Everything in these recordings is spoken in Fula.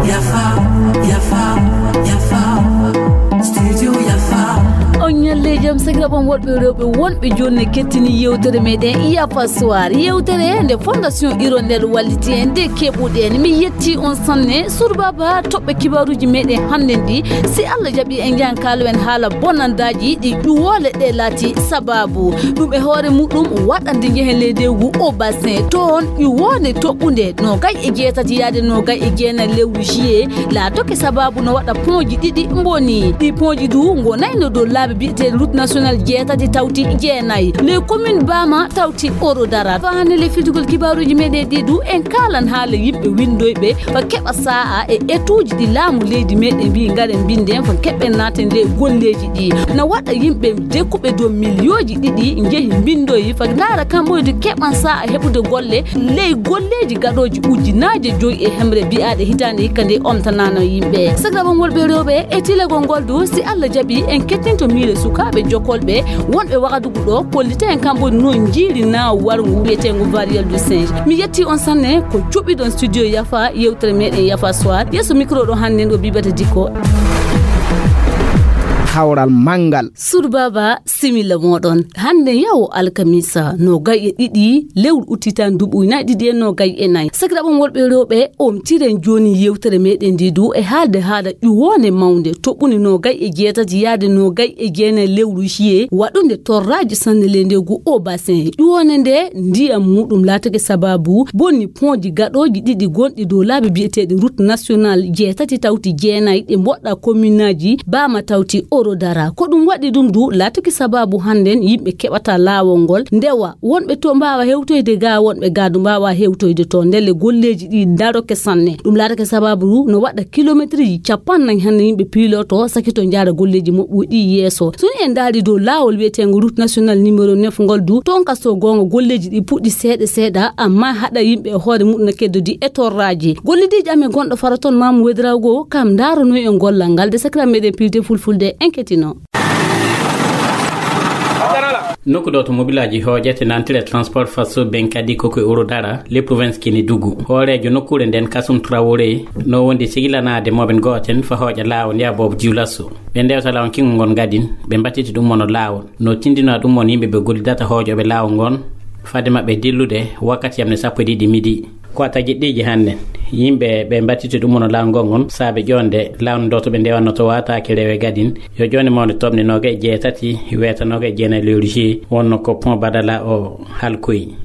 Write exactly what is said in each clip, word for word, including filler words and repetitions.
Yafa, yafa, yafa. Studio Yafa. On ñalle jam, sakiraaɓe am worɓe e rewɓe wonɓe jooni ne kettini yewtere meɗen Yafa Soir. Yewtere nde Fondation Hirondelle walliti en, nde keɓuɗen. Mi yetti on sanne. Surbaba toɓɓe kibaruuji meɗen hannden ɗi. Si Allah jaɓi en njahan kaalo en haala bonandaaji ɗi ƴuwoole ɗe laati sabaabu. Ɗum e hoore muɗum waɗande njehen leydi ngu o Bassin. Toon ƴuwoonde toɓɓunde nogay e jeetati yaade nogay e jeenayi lewru juillet laatoke sabaabu no waɗa ponji ɗiɗi mboni. Ɗi ponji du ngonayno dow laabi biyeteeɗi route nationale jeetati tawti jeenayi. Les communes Bama tawti Ouro Dara. Faa hannde le fittugol kibaruuji meɗen ɗi du en kaalan haala yimɓe winndoyɓe fa keɓa saa'a e etuuji ɗi laamu leydi meɗen mbi ngaren mbinden fa keɓen naaten ley golleeji ɗi. Na waɗa yimɓe dekkuɓe dow miliyooji ɗiɗi njehi mbinndoyi fa ndaara kamɓe du keɓan saa'a heɓude golle ley golleeji gaɗooji ujunaaje joyi e hemre biyaaɗe hitaande hikka nde omtanaano yimɓe. Sakiraaɓe am worɓe e rewɓe e tilagol ngol du si Allah jaɓi en kettinto miile sukaaɓe jokolɓe wonɓe Wagadugu ɗo kollita en kamɓe no njiiri naawu warngu wiyeteengu Variole du Singe. Mi yetti on sanne ko cuɓiɗon studio Yafa yewtere meɗen Yafa Soir. Yeeso micro ɗo hannden o Bibata Dikko. Kawral manngal. Surbaba similla moɗon. Hannde yawo alkamisa nogay e ɗiɗi lewru udditi tan duuɓi ujunaaji ɗiɗi e nogay e nayi. Sakiraaɓe am worɓe e rewɓe, omtiren jooni yewtere meɗen nde du e haalde haala ƴuwoonde mawnde toɓɓunde nogay e jeetati yaade nogay e jeenayi lewru juillet waɗunde torraaji sanne ley nde ngu o Bassin. Ƴuwoonde nde ndiyam muɗum laatake sabaabu bonni ponji gaɗooji ɗiɗi gonɗi dow laabi biyeteeɗi route nationale jeetati tawti jeenayi ɗi mboɗɗa kominaaji Bama tawti Ouro Dara. Ko ɗum waɗi ɗum du laatake sabaabu hannden yimɓe keɓata laawol ngol ndewa wonɓe to mbaawa hewtoyde ga wonɓe ga du mbaawa hewtoyde to ndelle golleeji ɗi ndaroke sanne. Ɗum laatake sabaabu du no waɗa kilometriji cappannayi hannde yimɓe piiloto sakito njaara golleeji moƴƴuɗi yeeso. So ni en ndaari dow laawol wiyeteengo route nationale numéro neuf ngol du toon kaso goonga golleeji ɗi puɗɗi seeɗa seeɗa amma haɗa yimɓe e hoore muɗum no keddodi e torraaji. Gollidiijo amen gonɗo faro toon Mamu Wedirago kam ndaaranoy en gollal ngal de sakiraaɓe meɗen piilte fulfulde en kettino. Nokku ɗo to mobilaaji hooƴete nantire transport faso ben kadi ko koye Ouro Dara le province Kédougou. Hooreejo nokkuure nden Kasum Traoré no wondi sigilanaade mooɓen gooten fa hooƴa laawol nde aboobo jiwlaso. Ɓe ndewta laawol kingol ngol gadin ɓe mbattiti ɗum mono laawol. No tindinaa ɗum mono yimɓe ɓe gollidata hooƴooɓe laawol ngon fade maɓɓe dillude wakkati yamne sappo e ɗiɗi midi. Ko a tagiɗɗiiji hannden yimɓe ɓe mbattiti ɗum mono laawol ngol ngon saabe ƴoonde laawol ndo to ɓe ndewanno to waataake rewe gadin yo ƴoonde mawnde toɓne nooga e jeetati weeta nooga e jeenayi lewru juillet wonno ko pont Badala o halkoyi.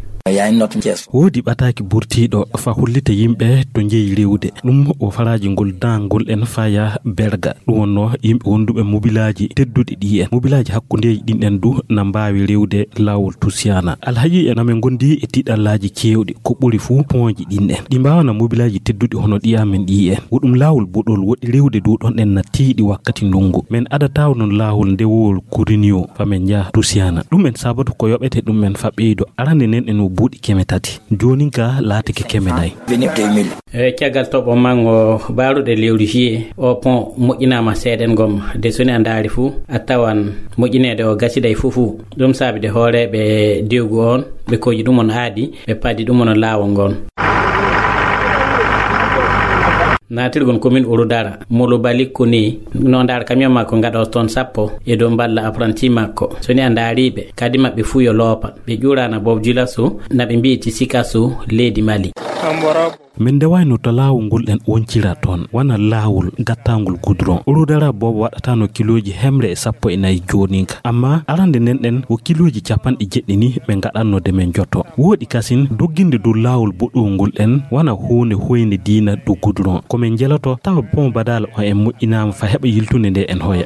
Woodi ɓataaki burtiiɗo fa hollita yimɓe to njeyi rewde ɗum o faraaji ngol daangol en faya berga. Ɗum wonno yimɓe wonduɓe mobilaaji tedduɗi ɗi en mobilaaji hakkundeeji ɗin en du na mbaawi rewde laawol Tusiyana. Alhaji en amen ngondi e tiɗallaaji keewɗi ko ɓuri fuu pooji ɗin en ɗi mbaawana mobilaaji tedduɗi hono ɗi amen ɗi en. Wo ɗum laawol boɗol woɗi rewde du ɗon en na tiiɗi wakkati ndungu. Men adataw non laawol ndewowol Kurinio fa men njaha Tusiyana. Ɗum en sabatu ko yoɓete ɗum en fa ɓeydo arande nen en o buuɗi keme tati. Joonin ka laatike keme nayi. E caggal toɓo mango baaruɗe lewru juillet o pont moƴƴinaama seeɗen gom de soni a ndaari fuu a tawan moƴƴineede o gasiday fuu fuu. Ɗum saabi de hooreeɓe dewgu on ɓe koji ɗum on aadi ɓe paadi ɗum on laawol ngon. Naatirgol commune Ouro Dara molo balikko ni no ndaara camion makko ngaɗo toon sappo e dow mballa apprenti makko. Soni a ndaariɓe kadi maɓɓe fuu yo loopa ɓe ƴuurana bob julasu na ɓe mbi'i ti sikasu leydi Mali. Min ndewayno to laawol ngol en woncira toon wona laawol gattangol goudron. Ouro Dara boobo waɗatano kilooji hemre e sappo e nayi jooninka amma arande nden ɗen wo kilooji capanɗe jeɗɗi ni ɓe ngaɗanno de men joto. Wooɗi kasin dogginde dow laawol boɗowol ngol en wona huunde hoynde diina dow goudron ko min njeloto tawa pont Badala on en moƴƴinaama fa heɓa yiltunde nde en hoya.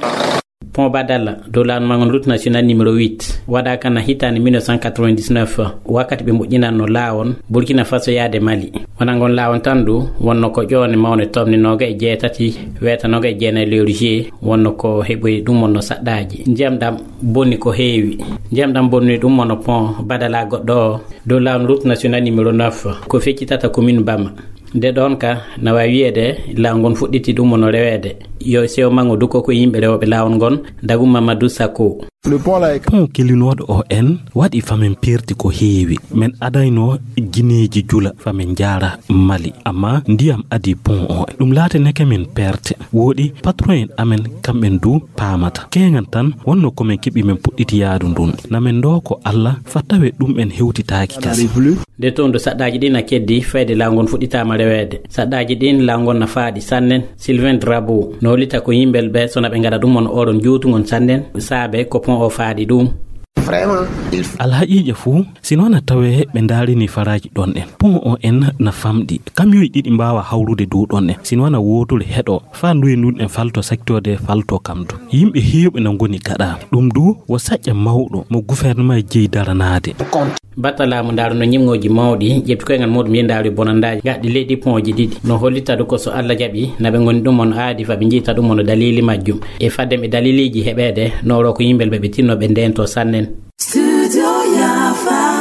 Pont Badala dow laawol mangol route nationale numéro huit waɗaaka na hitaande mille neuf cent quatre-vingt-dix-neuf wakkati ɓe moƴƴinanno laawol Burkina Faso yaade Mali. Wona ngon laawol tan du wonno ko ƴoone mawne tomne nooga e jeetati weeta nooga e jeenayi lewru juillet wonno ko heɓoyi ɗum wonno saɗɗaaji. Ndiyam ɗam bonni ko heewi. Ndiyam ɗam bonni ɗum wonno pont Badala goɗɗo o dow laawol route nationale numéro neuf ko feccitata commune Bama. Nde ɗon ka na waawi wiyeede laawol ngon fuɗɗiti ɗum wonno reweede. Yo sewo mango dukko ko yimɓe rewɓe laawol ngon, dagu Mamadou Sakko. Pon kellinooɗo o en waɗi famin perti ko heewi. Min adayno gineeji jula famin jaara Mali, amma ndiyam adi pon o. Ɗum laatanake min perte. Wooɗi patron en amen kamɓen du paamata. Keeŋan tan wonno ko min keɓi min puɗɗiti yaadu ndun. Na min ndoo ko Alla fa tawe ɗum en hewtitaaki kas. Nde toon do saɗɗaaji ɗin na keddi fayde laawol ngon fuɗɗitaama reweede. Saɗɗaaji ɗin laawol ngon na faaɗi sannen. Sylvain Drabo no hollita ko yimɓel ɓe sona ɓe ngaɗa ɗum on oɗon juutungon sannen saabe ko pon o faaɗi ɗum. Vraiment, il faut Alhaqiiqa fuu, si noon a tawee ɓe ndaarini faraaji ɗon en. Pon o en na famɗi. Kamiyoy ɗiɗi mbaawa hawrude dow ɗon en. Si noon a wootore heɗo, faa nduye ndun en falto secteur de falto kam du. Yimɓe heewɓe na ngoni gaɗa. Ɗum du, wo saƴƴa mawɗo mo gouvernement jeyi daranaade. Batta laamu ndaaru no ñimŋooji mawɗi, ƴefti koyngal muɗum yehi ndaaru bonandaaji gaɗɗi leydi pon oji ɗiɗi. No hollita du ko so Alla jaɓi, na ɓe ngoni ɗum on aadi fa ɓe njiyta ɗum on daliili majjum. E fadden ɓe daliiliiji heɓeede, no oro ko yimɓe ɓe ɓe tinno ɓe ndeento sannen. Studio Yafa.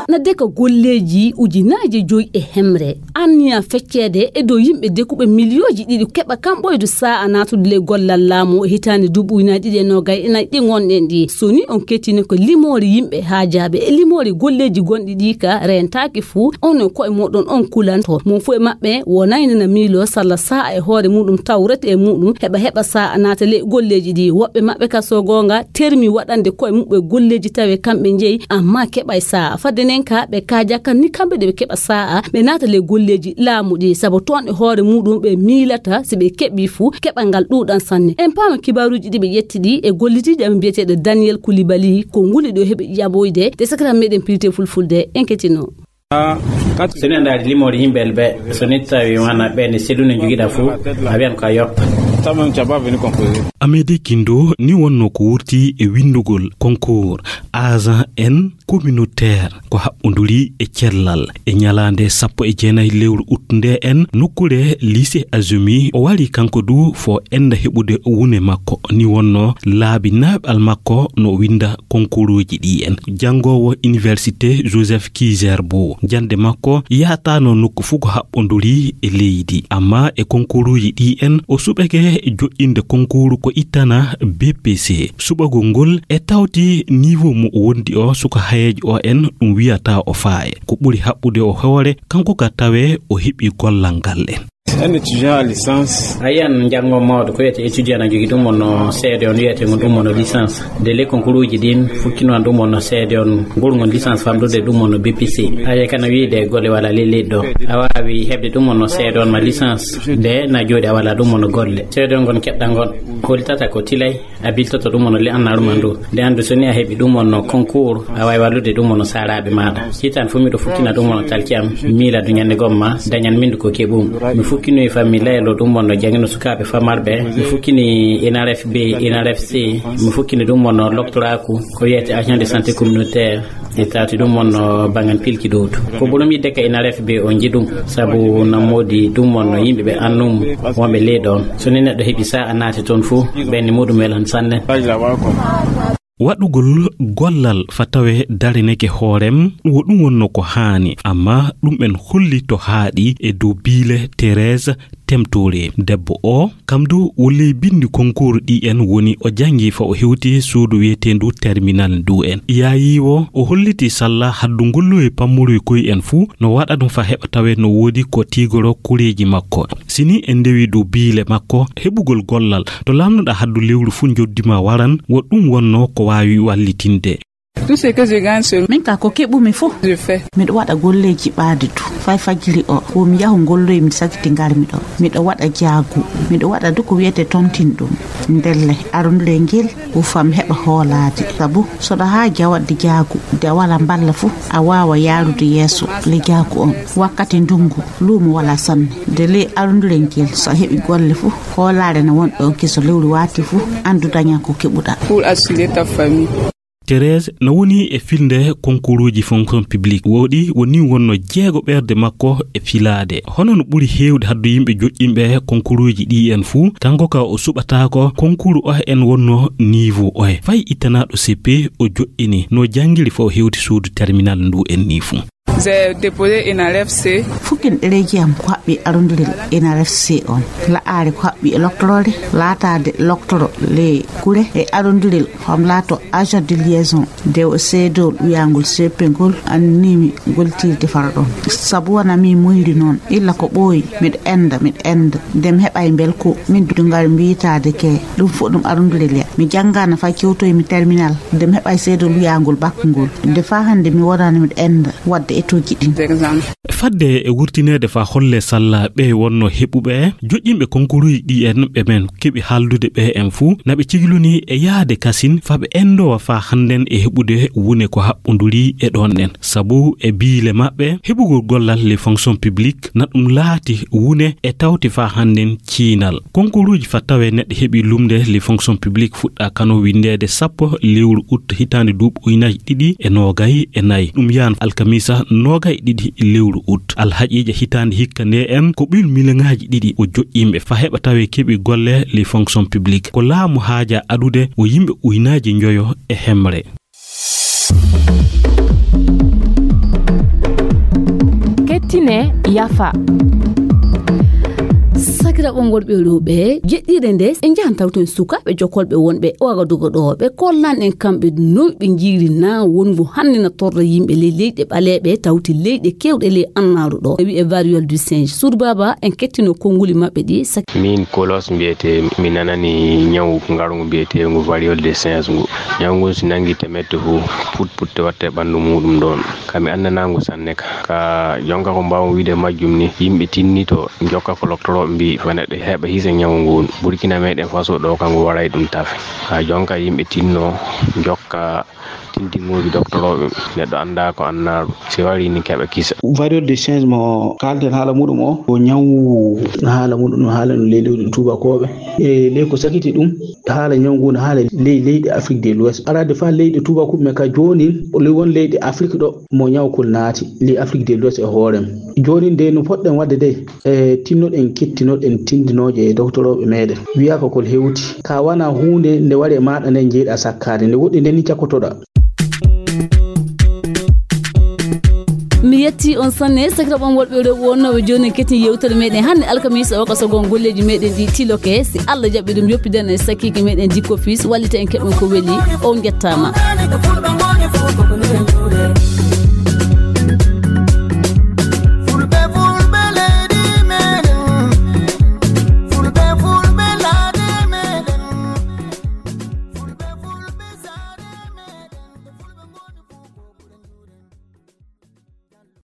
Na deka golleeji ujunaaje joy e hemre. Anniya fecceede e dow yimɓe dekuɓe miliyooji ɗiɗi keɓa kamɓoydu saa'a naatude ley gollal laamu e hitaande duuɓi ujunaaji ɗiɗi e noogay e nayi ɗi ngonɗen ɗi. So ni on kettini ko limoore yimɓe haajaaɓe e limoore golleeji gonɗi ɗi ka reentaaki fuu, on e ko'e mooɗon on kulanto. Mo fuu e maɓɓe wonayno na miiloo salla saa'a e hoore muuɗum tawrete e muuɗum heɓa heɓa saa'a naata ley golleeji ɗi. Woɓɓe maɓɓe ka so goonga termi waɗande ko'e muɓɓe golleeji tawe kamɓe njeyi, amma keɓay saa'a. Fadde nen ka ɓe kaaja kan ni kamɓe ɗe ɓe keɓa saa'a ɓe naata ley golleeji laamu ɗi, sabu toon e hoore muuɗum ɓe miilata si ɓe keɓi fuu keɓal ngal ɗuuɗan sanne. En paama kibaaruuji ɗi ɓe ƴetti ɗi e gollitiijo amen biyeteeɗo Daniel Koulibaly, ko nguli ɗo heɓi ƴaɓoyde de sakatan meɗen pilte fulfulde en ketino. So ni a ndaari limoore yimɓe ɓe, so ni tawi wana ɓe ne selluno jogiɗa fuu, a wiyan ko a yoppa. Amede Kindo ni wonno ko wurti e winndugol concours agent en communautaire ko haɓɓonduri e cellal e ñalaande sappo e jeenayi lewru ut nde en nokkure lycée Azumi. O wari kanko du fo enda heɓude wune makko, ni wonno laabi naɓal makko no winda konkuruuji ɗi en. Janngoowo Université Joseph Kizerbo, jannde makko yaataano nokku fuu ko haɓɓonduri e leydi, amma e konkuruuji ɗi en o suɓake joɗɗinde konkuru ko ittana B P C. Suɓagol ngol e tawti niveau mo o wondi o suka hayeejo o en ɗum wiyata o faaye. Ko ɓuri haɓɓude o hoore kanko ka tawe o heɓi gollal ngal en. Un étudiant à licence. A yiyan njanngo mawɗo ko wiyete étudiant na jogi ɗum wonno seede on wiyete ngon ɗum wonno licence. Nde ley konkuruuji ɗin fukkino an ɗum wonno seede on ngol ngon licence famɗude ɗum wonno B P C. A yiya kana wiide golle wala ley leydi ɗo. A waawi heɓde ɗum wonno seede on ma licence. Nde na jooɗi a wala ɗum wonno golle. Seede on ngon keɓɗa ngon. Hollitata ko tilay. A biltoto ɗum wonno le annaaru ma ndu. Nde anndu so ni a heɓi ɗum wonno concours, a waawi wallude ɗum wonno saaraaɓe maaɗa. Hitaan fof miɗo fukkina ɗum wonno talki am, miila du ñannde gomma, dañan min du ko keɓum. Mi fukkinoyi fammi laylo ɗum wonno janngino sukaaɓe famarɓe. Mi fukkini N R F B, N R F C. Mi fukkini ɗum wonno loktoraaku, ko wiyete agent de santé communautaire. E tawti ɗum wonno bangan pilki ɗowtu. Ko ɓurum yidde ka N R F B o nji ɗum, sabu nammoodi ɗum wonno yimɓe ɓe annum wonɓe leyɗo on. So ni neɗɗo heɓi sa'a naati toon fuu, ɓenni muɗum welan sanne. Waɗugol gollal fa tawe darineke hoorem, wo ɗum wonno ko haani, amma ɗum en holli to haaɗi e dow biile Thérèse Temtore. Debbo o, kam du wo ley binndi konkuuru ɗi en woni o janngi fa o hewti suudu wiyeteendu terminal ndu en. Yaayi wo, o holliti salla haddu ngolluwe pammoroy koy en fuu no waɗa ɗum fa heɓa tawe no woodi ko tiigoro kureeji makko. Si ni en ndewi dow biile makko, heɓugol gollal to laamnuɗa haddu lewru fuu njoddi ma waran, wo ɗum wonno ko waawi wallitinde. Tout ce que je gagne, c'est Min ka ko keɓumi fof, je fais. Miɗo waɗa golleeji ɓaadi du. Fay fajiri o, wo mi yahu ngolloyi, mi sakiti ngarmi ɗo. Miɗo waɗa jaagu. Miɗo waɗa du ko wiyete tontin ɗum. Ndelle, arundule ngel, wo fam heɓa hoolaade. Sabu, so ɗo haa jawaɗde jaagu, de a wala mballa fof, a waawa yaarude yeeso le jaagu on. Wakkati ndungu, luumo wala sanne. De ley arundule ngel, so a heɓi golle fof, hoolaare ne won ɗo, ke so lewru waati fof, anndu dañan ko keɓuɗa. Pour assurer ta famille. Thérèse no woni e filnde konkuruuji fonction publique. Wooɗi woni wonno jeego ɓerde makko e filaade. Hono no ɓuri heewde haddu yimɓe joƴƴinɓe konkuruuji ɗi en fuu, kanko ka o suɓataako konkuru o en wonno niveau oye. Fay ittanaaɗo C P o joƴƴini no janngiri fo o hewti suudu terminal ndu en ni fuu. J'ai déposé une R F C. Fukin ɗereeji am ko haɓɓi arondirel N R F C on. La'aare ko haɓɓi e loktoroore, laataade loktoro le kure e arondirel, fam laato agent de liaison. Nde o seedool wiyaangol seppengol annimi goltirde fara ɗon. Sabu wona mi muyri noon, illa ko ɓooyi, miɗo enda, miɗo enda. Nde mi heɓa e mbel ko min dudu ngari mbiyitaade ke, ɗum fof ɗum arondirel ya. Mi janngaana fay kewtoy mi terminal, nde mi heɓa e seedool wiyaangol bakkungol. Nde faa hannde mi wonaani miɗo enda, wadde e toji ɗin. Fadde e wurtineede faa holle salla ɓe wonno heɓuɓe joƴƴinɓe konkuruuji ɗi en ɓe men keɓi haaldude ɓe en fuu, na ɓe ciglunii e yahde kasin faa ɓe endowa faa hannden e heɓude wune ko haɓɓonduri e ɗon ɗen. Sabu e biile maɓɓe, heɓugol gollal les fonctions publiques na ɗum laati wune e tawti faa hannden ciinal. Konkuruuji faa tawee neɗɗo heɓi lumnde les fonctions publiques fuɗɗa kano winndeede sappo lewru ut hitaande duuɓi ujunaaji ɗiɗi e noogay e nayi. Ɗum yaan alkamiisa noogay e ɗiɗi lewru ut. Alhaqiiqa hitaande hikka nde en ko ɓiil miliyoŋaaji ɗiɗi o joƴƴinɓe faa heɓa tawee keɓi golle les fonctions publiques. Ko laamu haaja adude o yimɓe ujunaaji njoyo e hemre. Kettine yafa. Sakiraaɓe wonɓe ɗo ɓe jeɗɗiire nde, en njahan tawten sukaaɓe jokolɓe wonɓe Wagadugu ɗo, ɓe kollan en kamɓe noy ɓe njiiri na wongo hannde na torra yimɓe ley leyɗe ɓaleeɓe, tawti leyɗe keewɗe ley annaaru ɗo. E wi'e variole du singe. Suudu Baaba, en kettino konnguli maɓɓe ɗi. Min Kolos mbiyetee, mi nanani ñawu ngarngu mbiyeteengu variole du singe ngu. Ñawu ngun si nangi temette fu, put putte watte ɓanndu muuɗum ɗon. Ka mi anndanaa ngu sanne ka. Ka jonka ko mbaawmi wi'ude majjum ni, yimɓe tinnito jokka ko loktorooɓe mbii, faa neɗɗo heɓa hisa ñawu ngun. Burkina meɗen Faso ɗo, ka ngu waray ɗum tafe. Ka jonka yimɓe tinno jokka tintiŋuuji doktorooɓe, neɗɗo anndaa ko annaaɗo, si warii ni keɓa kisa. Variole du singe mo kaalten haala muɗum o, ko ñawu haala muɗum, no haala no ley leydi tuubakooɓe. E ley ko sakiti ɗum, haala ñawu ngu no haala ley leyɗe Afrique de l'Ouest. Araade faa leyɗe tuubakooɓe men ka jooni, ley won leyɗe Afrique ɗo mo ñawu kul naati, ley Afrique de l'Ouest e hoore mum. Jooni nde no poɗɗen waɗde de, e tinnoɗen, kettinoɗen tindinooje e doktorooɓe meɗen. Wiyaa ko kol hewti. Ka wana huunde nde wari e maaɗa nden jeyɗa sakkaade, nde woɗɗi nden ni cakkotoɗa. Mi yetti on sanne, sakiraaɓe am wonɓe rewɓe wonnooɓe jooni en kettin yewtere meɗen hannde alkamiisa o ka sogon golleeji meɗen ɗi tiloke. Si Allah jaɓi ɗum, yoppidan en sakiike meɗen Dikko Fils, wallita en keɓen ko weli. On njettaama.